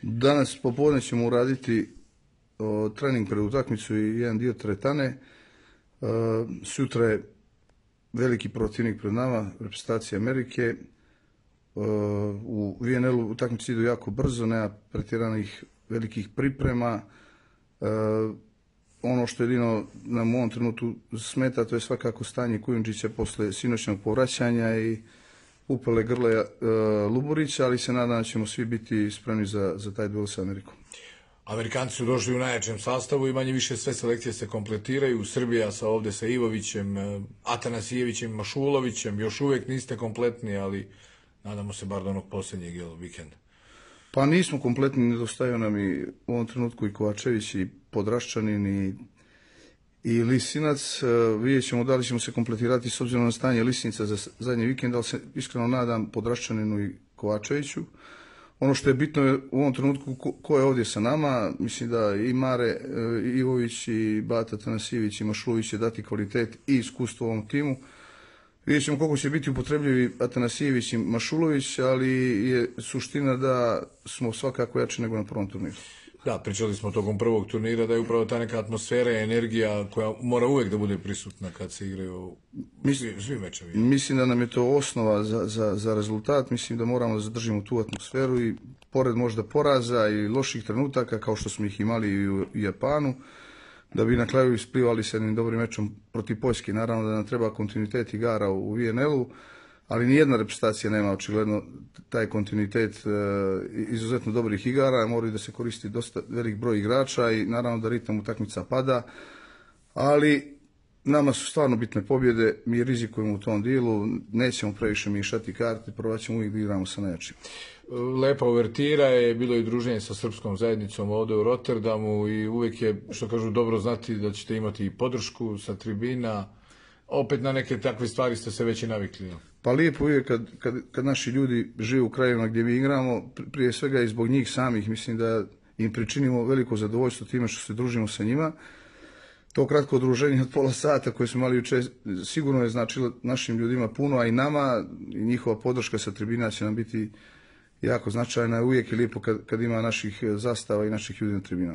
Danas popodne ćemo uraditi trening pred utakmicu i jedan dio teretane. Sutra je veliki protivnik pred nama, reprezentacija Amerike. U VNL-u utakmice idu jako brzo, nema pretjeranih velikih priprema. Ono što jedino nam u ovom trenutku smeta, to je svakako stanje Kujundžića posle sinoćnog povraćanja i upale grle Luburića, ali se nadam da ćemo svi biti spremni za taj duel sa Amerikom. Amerikanci su došli u najjačem sastavu i manje više sve selekcije se kompletiraju. Srbija ovde sa Ivovićem, Atanasijevićem, Mašulovićem, još uvek niste kompletni, ali nadamo se bar do onog posljednjeg vikenda. Pa nismo kompletni, nedostaju nam i u ovom trenutku i Kovačević i Podraščanin i Lisinac. Vidjet ćemo da li ćemo se kompletirati s obzirom na stanje Lisinca za zadnji vikend, ali se iskreno nadam Podraščaninu i Kovačeviću. Ono što je bitno je u ovom trenutku ko je ovdje sa nama. Mislim da i Mare Ivović i Bata Tanasijević i Mašulović će dati kvalitet i iskustvo ovom timu. Vidjet ćemo koliko će biti upotrebljivi Atanasijević i Mašulović, ali je suština da smo svakako jači nego na prvom turniru. Da, pričali smo tokom prvog turnira da je upravo ta neka atmosfera i energija koja mora uvek da bude prisutna kad se igraju svi mečevi. Mislim da nam je to osnova za rezultat. Mislim da moramo da zadržimo tu atmosferu i pored možda poraza i loših trenutaka kao što smo ih imali i u Japanu, da bi na kraju isplivali s jednim dobrim mečom protiv Poljske. Naravno da nam treba kontinuitet igara u VNL-u, ali nijedna reprezentacija nema očigledno taj kontinuitet izuzetno dobrih igara, moraju da se koristi dosta velik broj igrača i naravno da ritam utakmica pada, ali nama su stvarno bitne pobjede, mi rizikujemo u tom dilu, nećemo previše miješati karte, probat ćemo uvijek da igramo sa najjačim. Lepa uvertira je, bilo i druženje sa srpskom zajednicom ovde u Rotterdamu i uvijek je, što kažu, dobro znati da ćete imati i podršku sa tribina. Opet na neke takve stvari ste se već i navikli. Pa lijepo je kad naši ljudi žive u krajevima gdje mi igramo, prije svega i zbog njih samih, mislim da im pričinimo veliko zadovoljstvo time što se družimo sa njima. To kratko druženje od pola sata koje smo imali juče sigurno je značilo našim ljudima puno, a i nama, i njihova podrška sa tribina će nam biti jako značajna. Uvijek je lijepo kad ima naših zastava i naših ljudi na tribinama.